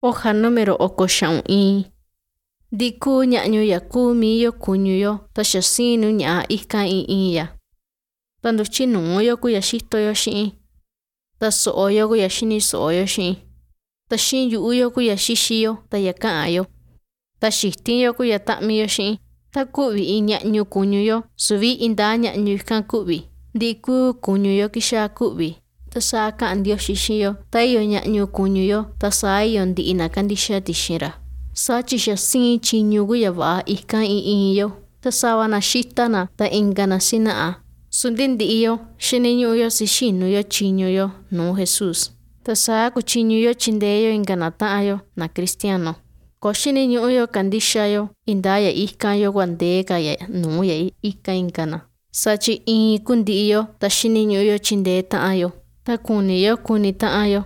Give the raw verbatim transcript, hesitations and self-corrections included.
Hoja número oko xaꞌun iin. Ndiꞌi kuu ñaꞌñu ya kuu mii yo kuñu yo ta xa siin nu ñaꞌa ikan iin iin ya, ta nduchi nuu yo ku ya xito yo xiꞌin, ta soꞌo yo ku ya xini soꞌo yo xiꞌin, ta xiꞌin yuꞌu yo ku ya xixi yo ta ya kaꞌan yo, ta xitin yo ku ya taꞌmi yo xiꞌin. Ta kuꞌvi iin ñaꞌñu kuñu yo, suvi intaa ñaꞌñu ikan kuꞌvi, ntii kuu kuñu yo kixaa kuꞌvi. Ta saa kaꞌan Ndioxi xiꞌin yo, ta iyo ñaꞌñu kuñu yo, ta saa iyo ntiꞌi na kandixa tixin ra. Saa chi xa siin chiñu ku ya vaꞌa ikan iin iin yo, ta sava na xita na, ta inka na sinaꞌa, su ndi ntiꞌi yo xiniñuꞌu yo sixinu yo chiñu yo nuu Jesús, ta saa kuchiñu yo chintee yo inka na taꞌan yo, na cristiano. Koo xiniñuꞌu yo kandixa yo intaa ya ikan yo kua ndee ka ya nuu ya ikan inka na, saa chi iin kuu ntiꞌi yo ta xiniñuꞌu yo chintee taꞌan yo, ta kuni yo kuni taꞌan yo.